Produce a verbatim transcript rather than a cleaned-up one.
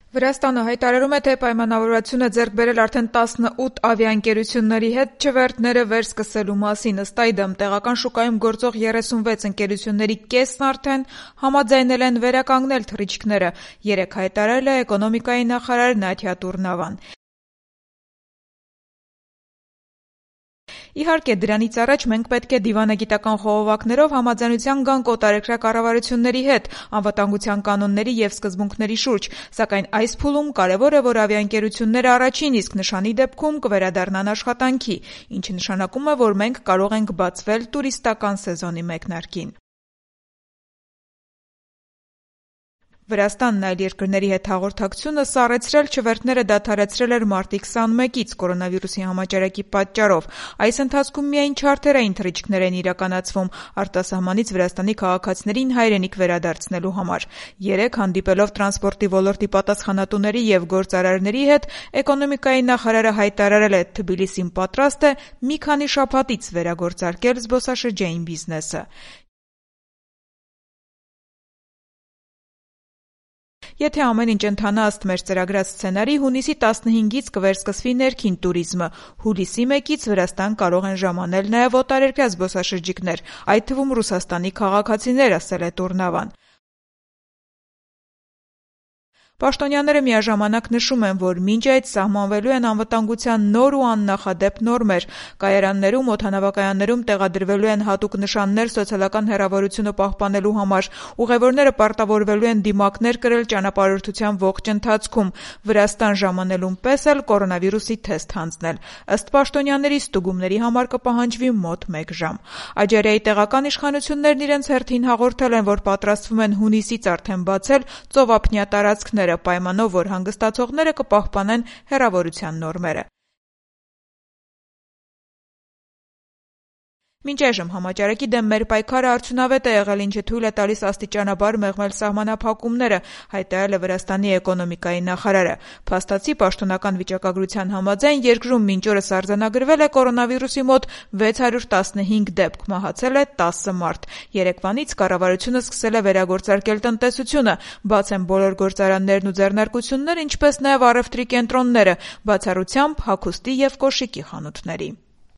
Վրաստանը հայտարարում է, թե պայմանավորվածություն է ձեռք բերել արդեն տասնութ ավիաընկերությունների հետ չվերթները վերսկսելու մասին։ Ըստ այդմ, տեղական շուկայում գործող երեսունվեց ընկերությունների կեսն արդեն համաձայնել են վերականգնել թռիչքները, երեկ հայտարարել է էկոնոմիկայի նախարար Նաթյա Տուրնավան։ Իհարկե, դրանից առաջ մենք պետք է դիվանագիտական խողովակներով համաձայնության գանք օտարերկրյա կառավարությունների հետ անվտանգության կանոնների և սկզբունքների շուրջ, սակայն այս փուլում կարևոր է, որ ավիաընկերությունները առաջին իսկ նշանի դեպքում կվերադառնան աշխատանքի, ինչը նշանակում է, որ մենք կարող ենք բացվել տուրիստական սեզոնի մեկնարկին։ Վրաստանն այլ երկրների հետ հաղորդակցությունը սառեցրել չվերթները դադարեցրել էր մարտի քսանմեկից կորոնավիրուսի համաճարակի պատճառով։ Այս ընթացքում միայն չարթերային թռիչքներ են իրականացվում արտասահմանից Վրաստանի քաղաքացիներին հայրենիք վերադարձնելու համար։ Երեկ հանդիպելով տրանսպորտի ոլորտի պատասխանատուների և գործարարների հետ, էկոնոմիկայի նախարարը հայտարարել է, Թբիլիսին պատրաստ է մի քանի շաբաթից վերագործարկել զբոսաշրջային բիզնեսը։ Եթե ամեն ինչ ընթանա ըստ մեր ծրագրած սցենարի, հունիսի տասնհինգից կվերսկսվի ներքին տուրիզմը, հուլիսի մեկից Վրաստան կարող են ժամանել նաև օտարերկրյա զբոսաշրջիկներ, այդ թվում Ռուսաստանի քաղաքացիներ, ասել է Տուրնավան։ Պաշտոնյաները միաժամանակ նշում են, որ մինչ այդ սահմանվելու են անվտանգության նոր ու աննախադեպ նորմեր, կայարաններում, օդանավակայաններում տեղադրվելու են հատուկ նշաններ սոցիալական հեռավորությունը պահպանելու համար, ուղևորները պարտավորվելու են դիմակներ կրել ճանապարհորդության ողջ ընթացքում, Վրաստան ժամանելուն պես էլ կորոնավիրուսի թեստ հանձնել։ Ըստ պաշտոնյաների, ստուգումների համար կպահանջվի մոտ մեկ ժամ։ Աջարիայի տեղական իշխանություններն իրենց հերթին հաղորդել են, որ պատրաստվում են հունիսից արդեն բացել ծովափնյա տարածքները, պայմանով, որ հանգստացողները կպահպանեն հեռավորության նորմերը։ Մինչ այժմ համաճարակի դեմ մեր պայքարը արդյունավետ է եղել, ինչը թույլ է տալիս աստիճանաբար մեղմել սահմանափակումները, հայտարարել է Վրաստանի էկոնոմիկայի նախարարը։ Փաստացի, պաշտոնական վիճակագրության համաձայն երկրում մինչ օրս արձանագրվել է կորոնավիրուսի մոտ վեց հարյուր տասնհինգ դեպք, մահացել է տասը մարդ։ Երեկվանից կառավարությունը սկսել է վերագործարկել տնտեսությունը, բաց են բոլոր գործարաններն ու ձեռնարկությունները, ինչպես նաև առևտրի կենտրոնները, բացառությամբ հագուստի և կոշիկի խանութների։